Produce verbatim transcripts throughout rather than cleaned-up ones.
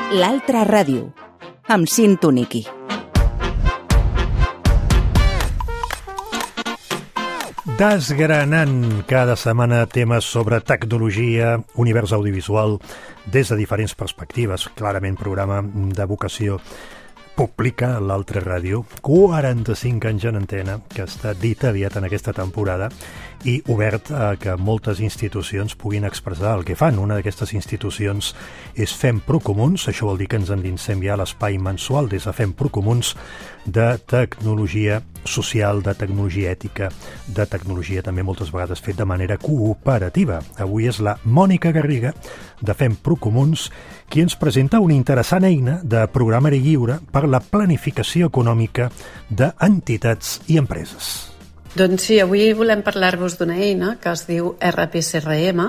L'altra ràdio, amb Cinto Niqui. Desgranant cada setmana temes sobre tecnologia, univers audiovisual, des de diferents perspectives. Clarament programa de vocació pública, l'Altra Ràdio, quaranta-cinc anys en antena, que està dit aviat en aquesta temporada, i obert a que moltes institucions puguin expressar el que fan. Una d'aquestes institucions és Fem Procomuns. Això vol dir que ens endinsem ja a l'espai mensual des de Fem Procomuns de tecnologia social, de tecnologia ètica, de tecnologia també moltes vegades fet de manera cooperativa. Avui és la Mònica Garriga de Fem Procomuns qui ens presenta una interessant eina de programari lliure per la planificació econòmica d'entitats i empreses. Doncs sí, avui volem parlar-vos d'una eina que es diu R P C R M,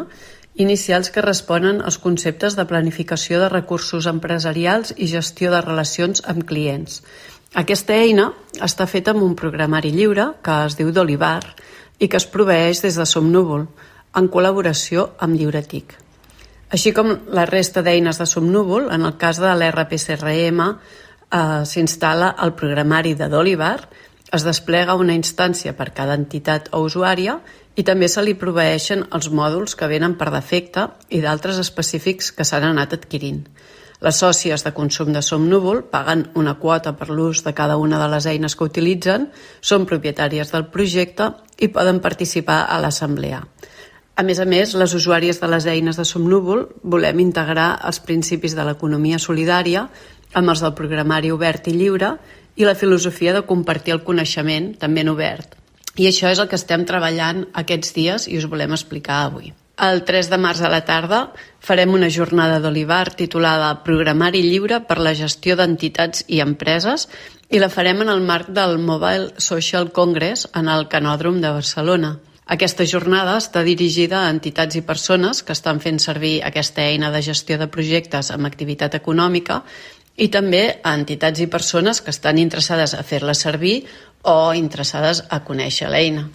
inicials que responen als conceptes de planificació de recursos empresarials i gestió de relacions amb clients. Aquesta eina està feta amb un programari lliure que es diu Dolivar i que es proveeix des de Somnúvol, en col·laboració amb Lliuretic. Així com la resta d'eines de Somnúvol, en el cas de l'R P C R M eh, s'instal·la el programari de Dolivar, es desplega una instància per cada entitat o usuària i també se li proveeixen els mòduls que venen per defecte i d'altres específics que s'han anat adquirint. Les sòcies de consum de Somnúvol paguen una quota per l'ús de cada una de les eines que utilitzen, són propietàries del projecte i poden participar a l'assemblea. A més a més, les usuàries de les eines de Somnúvol volem integrar els principis de l'economia solidària amb els del programari obert i lliure i la filosofia de compartir el coneixement, també en obert. I això és el que estem treballant aquests dies i us volem explicar avui. El tres de març a la tarda farem una jornada d'Olivar titulada Programari lliure per la gestió d'entitats i empreses i la farem en el marc del Mobile Social Congress en el Canòdrom de Barcelona. Aquesta jornada està dirigida a entitats i persones que estan fent servir aquesta eina de gestió de projectes amb activitat econòmica i també a entitats i persones que estan interessades a fer-la servir o interessades a conèixer l'eina.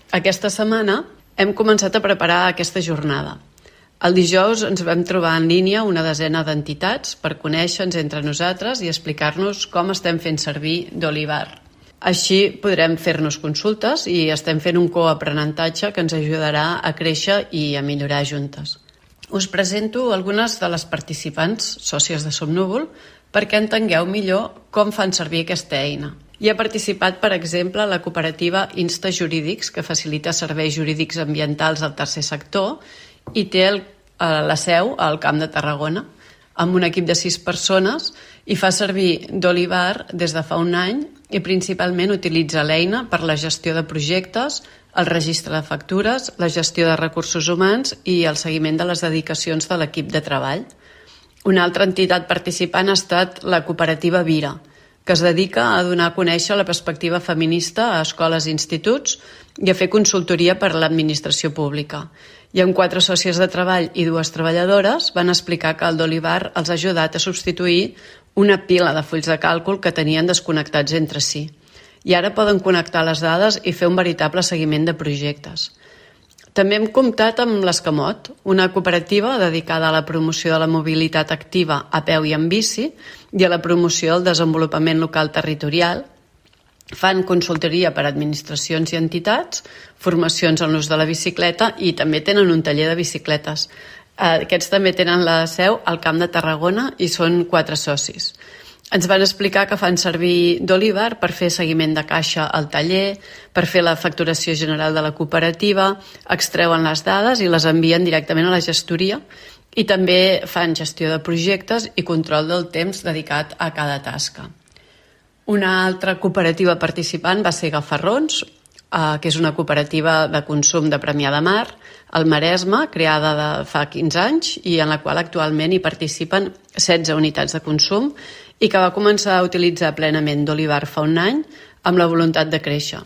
Aquesta setmana hem començat a preparar aquesta jornada. El dijous ens vam trobar en línia una desena d'entitats per conèixer-nos entre nosaltres i explicar-nos com estem fent servir Dolivar. Així podrem fer-nos consultes i estem fent un coaprenentatge que ens ajudarà a créixer i a millorar juntes. Us presento algunes de les participants, sòcies de Somnúvol, perquè entengueu millor com fan servir aquesta eina. Hi ha participat, per exemple, la cooperativa Insta Jurídics, que facilita serveis jurídics ambientals al tercer sector i té el, la seu al Camp de Tarragona, amb un equip de sis persones i fa servir Dolivar des de fa un any i principalment utilitza l'eina per la gestió de projectes, el registre de factures, la gestió de recursos humans i el seguiment de les dedicacions de l'equip de treball. Una altra entitat participant ha estat la cooperativa Vira, que es dedica a donar a conèixer la perspectiva feminista a escoles i instituts i a fer consultoria per a l'administració pública. I amb quatre sòcies de treball i dues treballadores van explicar que el Dolivar els ha ajudat a substituir una pila de fulls de càlcul que tenien desconnectats entre si. I ara poden connectar les dades i fer un veritable seguiment de projectes. També hem comptat amb l'Escamot, una cooperativa dedicada a la promoció de la mobilitat activa a peu i en bici i a la promoció del desenvolupament local territorial. Fan consultoria per a administracions i entitats, formacions en l'ús de la bicicleta i també tenen un taller de bicicletes. Aquests també tenen la seu al Camp de Tarragona i són quatre socis. Ens van explicar que fan servir Dolivar per fer seguiment de caixa al taller, per fer la facturació general de la cooperativa, extreuen les dades i les envien directament a la gestoria i també fan gestió de projectes i control del temps dedicat a cada tasca. Una altra cooperativa participant va ser Gafarrons, eh, que és una cooperativa de consum de Premià de Mar, al Maresme, creada de fa quinze anys i en la qual actualment hi participen setze unitats de consum i que va començar a utilitzar plenament Dolivar fa un any amb la voluntat de créixer.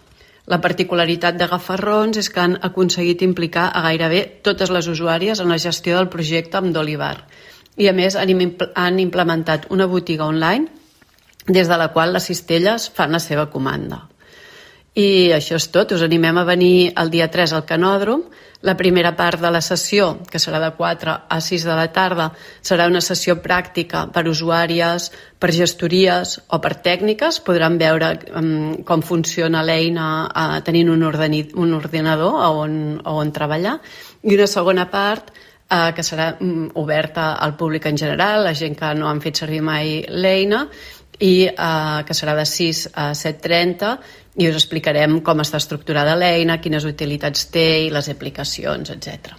La particularitat de Gafarrons és que han aconseguit implicar a gairebé totes les usuàries en la gestió del projecte amb Dolivar i a més han implementat una botiga online des de la qual les cistelles fan la seva comanda. I això és tot, us animem a venir el dia tres al Canòdrom. La primera part de la sessió, que serà de quatre a sis de la tarda, serà una sessió pràctica per usuàries, per gestories o per tècniques. Podran veure um, com funciona l'eina uh, tenint un, ordeni, un ordinador on, on treballar. I una segona part uh, que serà um, oberta al públic en general, la gent que no han fet servir mai l'eina, i uh, que serà de sis a set trenta, i us explicarem com està estructurada l'eina, quines utilitats té i les aplicacions, etcètera.